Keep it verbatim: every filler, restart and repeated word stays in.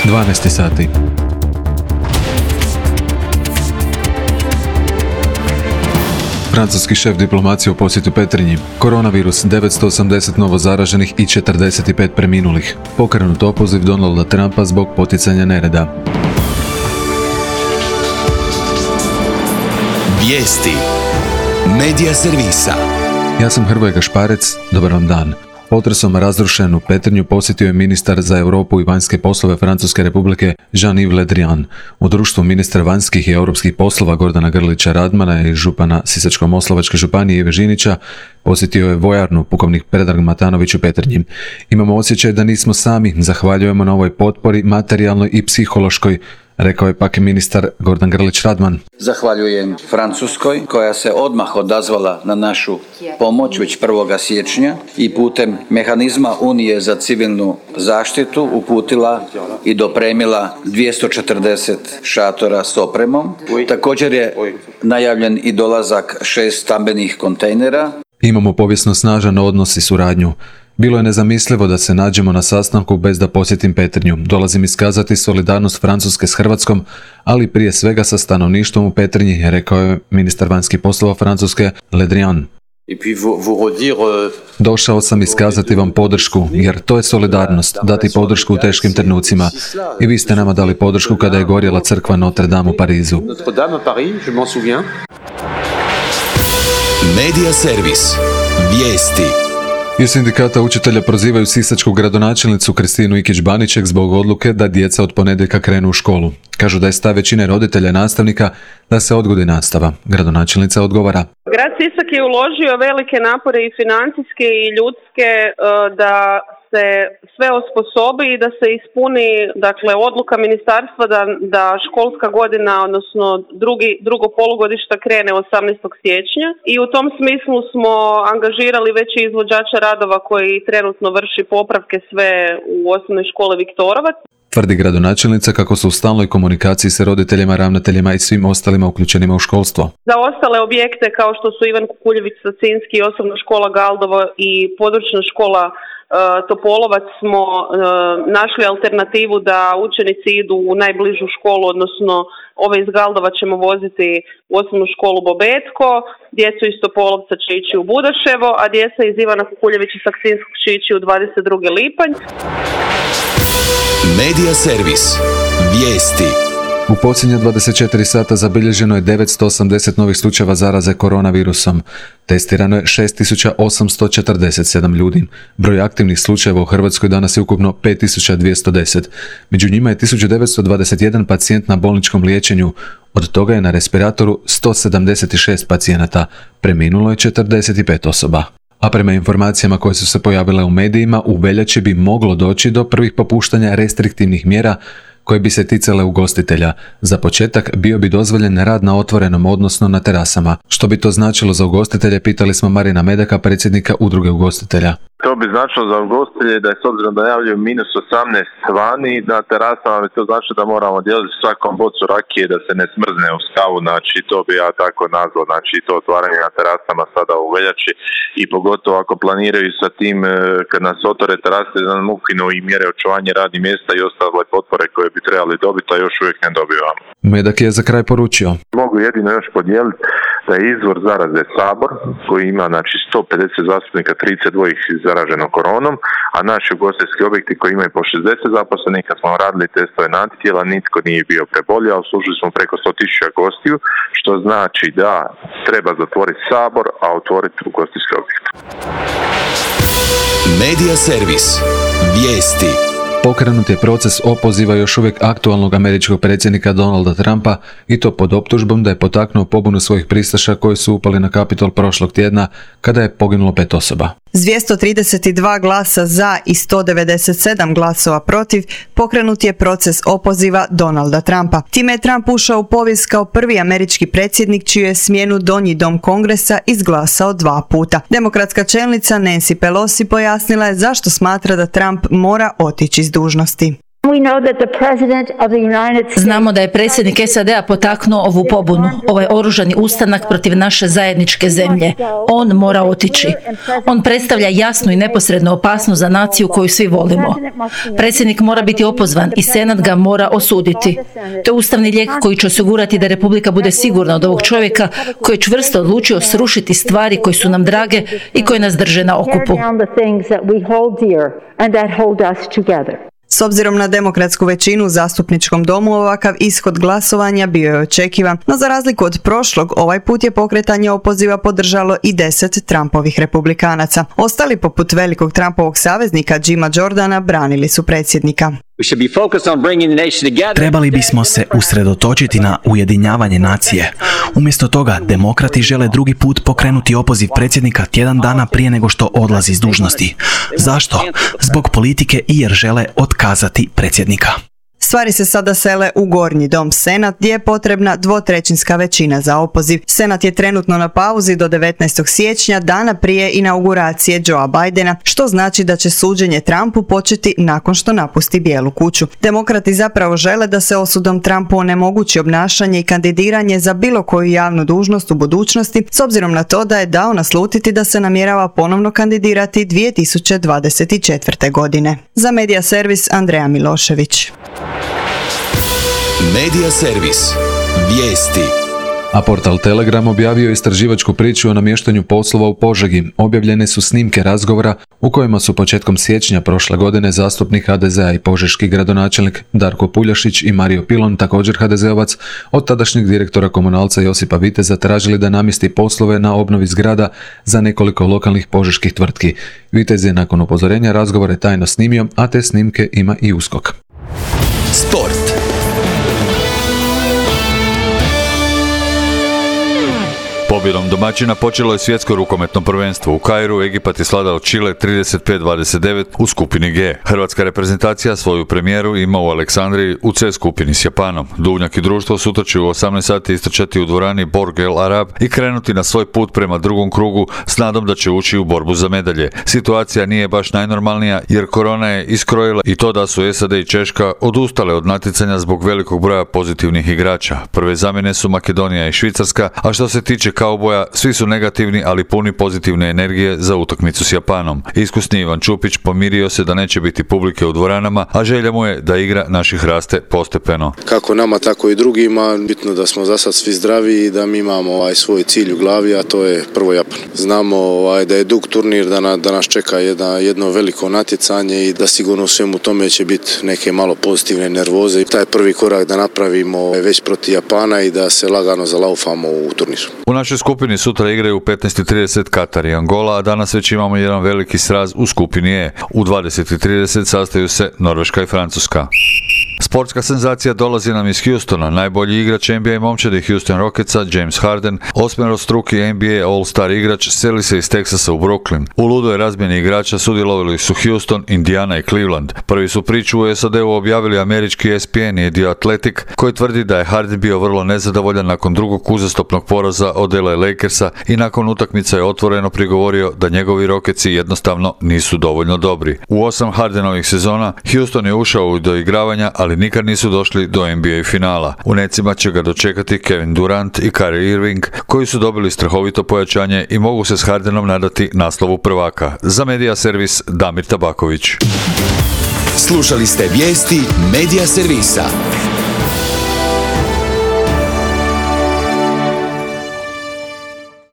dvanaest sati. Francuski šef diplomacije u posjetu Petrinji. Koronavirus, devetsto osamdeset novo zaraženih i četrdeset pet preminulih. Pokrenut opoziv Donalda Trumpa zbog poticanja nereda. Vijesti Medija servisa. Ja sam Hrvoje Gašparec, dobar vam dan. Potresom razrušenu Petrinju posjetio je ministar za Europu i vanjske poslove Francuske Republike Jean-Yves Le Drian. U društvu ministra vanjskih i europskih poslova Gordana Grlića Radmana i župana Sisačko-moslavačke županije Ive Žinića posjetio je vojarnu pukovnik Predrag Matanović u Petrinji. Imamo osjećaj da nismo sami, zahvaljujemo na ovoj potpori materijalnoj i psihološkoj, rekao je pak ministar Gordan Grlić Radman. Zahvaljujem Francuskoj koja se odmah odazvala na našu pomoć već prvog siječnja i putem mehanizma Unije za civilnu zaštitu uputila i dopremila dvjesto četrdeset šatora s opremom. Također je najavljen i dolazak šest stambenih kontejnera. Imamo povijesno snažan odnos i suradnju. Bilo je nezamislivo da se nađemo na sastanku bez da posjetim Petrinju. Dolazim iskazati solidarnost Francuske s Hrvatskom, ali prije svega sa stanovništvom u Petrinji, rekao je ministar vanjskih poslova Francuske Le Drian. Došao sam iskazati vam podršku, jer to je solidarnost, dati podršku u teškim trenucima. I vi ste nama dali podršku kada je gorjela crkva Notre Dame u Parizu. Medija servis. Vijesti. Iz sindikata učitelja prozivaju sisačku gradonačelnicu Kristinu Ikić-Baniček zbog odluke da djeca od ponedjeljka krenu u školu. Kažu da je stav većine roditelja i nastavnika da se odgodi nastava. Gradonačelnica odgovara. Grad Sisak je uložio velike napore i financijske i ljudske da se sve osposobi i da se ispuni, dakle, odluka ministarstva da, da školska godina, odnosno drugi, drugo polugodišta krene osamnaestog siječnja i u tom smislu smo angažirali već izvođača radova koji trenutno vrši popravke sve u osnovnoj školi Viktorovac. Tvrdi gradonačelnica kako su u stalnoj komunikaciji sa roditeljima, ravnateljima i svim ostalima uključenima u školstvo. Za ostale objekte kao što su Ivan Kukuljević Sacinski, osnovna škola Galdovo i područna škola Topolovac smo uh, našli alternativu da učenici idu u najbližu školu, odnosno ove iz Galdova ćemo voziti u osnovnu školu Bobetko, djecu iz Topolovca će ići u Budaševo, a djeca iz Ivana Kukuljevića Sakcinskog će ići u dvadeset drugi lipanj. Medija servis. Vijesti. U posljednje dvadeset četiri sata zabilježeno je devetsto osamdeset novih slučajeva zaraze koronavirusom. Testirano je šest tisuća osamsto četrdeset sedam ljudi. Broj aktivnih slučajeva u Hrvatskoj danas je ukupno pet tisuća dvjesto deset. Među njima je tisuću devetsto dvadeset jedan pacijent na bolničkom liječenju. Od toga je na respiratoru sto sedamdeset šest pacijenata. Preminulo je četrdeset pet osoba. A prema informacijama koje su se pojavile u medijima, u veljači bi moglo doći do prvih popuštanja restriktivnih mjera koje bi se ticale ugostitelja. Za početak bio bi dozvoljen rad na otvorenom, odnosno na terasama. Što bi to značilo za ugostitelje, pitali smo Marina Medaka, predsjednika udruge ugostitelja. To bi značilo za ugostitelje da je s obzirom da javljaju minus osamnaest vani, na terasama bi to znači da moramo dijeliti svakom bocu rakije da se ne smrzne u skavu, znači to bi ja tako nazvao, znači to otvaranje na terasama sada u veljači i pogotovo ako planiraju sa tim kad nas otvore terase da nam ukinu i mjere očuvanja radnih mjesta i ostale potpore koje bi trebali dobiti, a još uvijek ne dobivamo. Medak je za kraj poručio. Mogu jedino još podijeliti da je izvor zaraze Sabor koji ima znači sto pedeset zastupnika, trideset dva ih zaraženo koronom, a naši ugostiteljski objekti koji imaju po šezdeset zaposlenih, kad smo radili testove na antitijela, nitko nije bio prebolio, a uslužili smo preko sto tisuća gostiju, što znači da treba zatvoriti Sabor, a otvoriti ugostiteljski objekt. Medija servis. Vijesti. Pokrenut je proces opoziva još uvijek aktualnog američkog predsjednika Donalda Trumpa i to pod optužbom da je potaknuo pobunu svojih pristaša koji su upali na Kapitol prošlog tjedna kada je poginulo pet osoba. S dvjesto trideset dva glasa za i sto devedeset sedam glasova protiv pokrenut je proces opoziva Donalda Trumpa. Time je Trump ušao u povijest kao prvi američki predsjednik čiju je smjenu Donji dom Kongresa izglasao dva puta. Demokratska čelnica Nancy Pelosi pojasnila je zašto smatra da Trump mora otići s dužnosti. Znamo da je predsjednik S A D-a potaknuo ovu pobunu, ovaj oružani ustanak protiv naše zajedničke zemlje. On mora otići. On predstavlja jasnu i neposrednu opasnost za naciju koju svi volimo. Predsjednik mora biti opozvan i Senat ga mora osuditi. To je ustavni lijek koji će osigurati da Republika bude sigurna od ovog čovjeka koji je čvrsto odlučio srušiti stvari koje su nam drage i koje nas drže na okupu. S obzirom na demokratsku većinu u zastupničkom domu, ovakav ishod glasovanja bio je očekivan, no za razliku od prošlog, ovaj put je pokretanje opoziva podržalo i deset Trumpovih republikanaca. Ostali, poput velikog Trumpovog saveznika Jima Jordana, branili su predsjednika. Trebali bismo se usredotočiti na ujedinjavanje nacije. Umjesto toga, demokrati žele drugi put pokrenuti opoziv predsjednika tjedan dana prije nego što odlazi s dužnosti. Zašto? Zbog politike i jer žele otkazati predsjednika. Stvari se sada sele u Gornji dom, Senat, gdje je potrebna dvotrećinska većina za opoziv. Senat je trenutno na pauzi do devetnaestog siječnja, dana prije inauguracije Joea Bidena, što znači da će suđenje Trumpu početi nakon što napusti Bijelu kuću. Demokrati zapravo žele da se osudom Trumpu onemogući obnašanje i kandidiranje za bilo koju javnu dužnost u budućnosti, s obzirom na to da je dao naslutiti da se namjerava ponovno kandidirati dvije tisuće dvadeset četvrte. godine. Za Medija Servis, Andreja Milošević. Medija Servis. Vijesti. A portal Telegram objavio istraživačku priču o namještanju poslova u Požegi. Objavljene su snimke razgovora u kojima su početkom siječnja prošle godine zastupnik ha de zea i požeški gradonačelnik Darko Puljašić i Mario Pilon, također ha de zeovac, od tadašnjeg direktora Komunalca Josipa Viteza tražili da namjesti poslove na obnovi zgrada za nekoliko lokalnih požeških tvrtki. Vitez je nakon upozorenja razgovore tajno snimio, a te snimke ima i USKOK. Sport. Pobjedom domaćina počelo je svjetsko rukometno prvenstvo. U Kairu Egipat je svladao Čile trideset pet dvadeset devet u skupini G. Hrvatska reprezentacija svoju premijeru ima u Aleksandriji u C skupini s Japanom. Duvnjak i društvo sutra će u osamnaest sati istrčati u dvorani Borg El Arab i krenuti na svoj put prema drugom krugu s nadom da će ući u borbu za medalje. Situacija nije baš najnormalnija jer korona je iskrojila i to da su S A D i Češka odustale od natjecanja zbog velikog broja pozitivnih igrača. Prve zamjene su Makedonija i Švicarska, a što se tiče kauboja, svi su negativni, ali puni pozitivne energije za utakmicu s Japanom. Iskusni Ivan Čupić pomirio se da neće biti publike u dvoranama, a želja mu je da igra naših raste postepeno. Kako nama, tako i drugima, bitno da smo za sad svi zdravi i da mi imamo ovaj svoj cilj u glavi, a to je prvo Japan. Znamo ovaj, da je dug turnir, da, na, da nas čeka jedna, jedno veliko natjecanje i da sigurno u svemu tome će biti neke malo pozitivne nervoze. I taj prvi korak da napravimo već protiv Japana i da se lagano zalaufamo u turnir. U našoj skupini sutra igraju u petnaest i trideset Katar i Angola, a danas već imamo jedan veliki sraz u skupini E. U dvadeset i trideset sastaju se Norveška i Francuska. Sportska senzacija dolazi nam iz Houstona. Najbolji igrač N B A momčadi Houston Rocketsa, James Harden, osmerostruki N B A All-Star igrač, seli se iz Teksasa u Brooklyn. U ludoj razmjeni igrača sudjelovali su Houston, Indiana i Cleveland. Prvi su priču u S A D-u objavili američki E S P N i The Athletic, koji tvrdi da je Harden bio vrlo nezadovoljan nakon drugog uzastopnog poraza od L A Lakersa i nakon utakmice je otvoreno prigovorio da njegovi Rocketsi jednostavno nisu dovoljno dobri. U osam Hardenovih sezona Houston je ušao u doigravanja, ali nikad nisu došli do N B A finala. U necima će ga dočekati Kevin Durant i Kyrie Irving, koji su dobili strahovito pojačanje i mogu se s Hardenom nadati naslovu prvaka. Za Medija Servis, Damir Tabaković. Slušali ste vijesti Medija Servisa.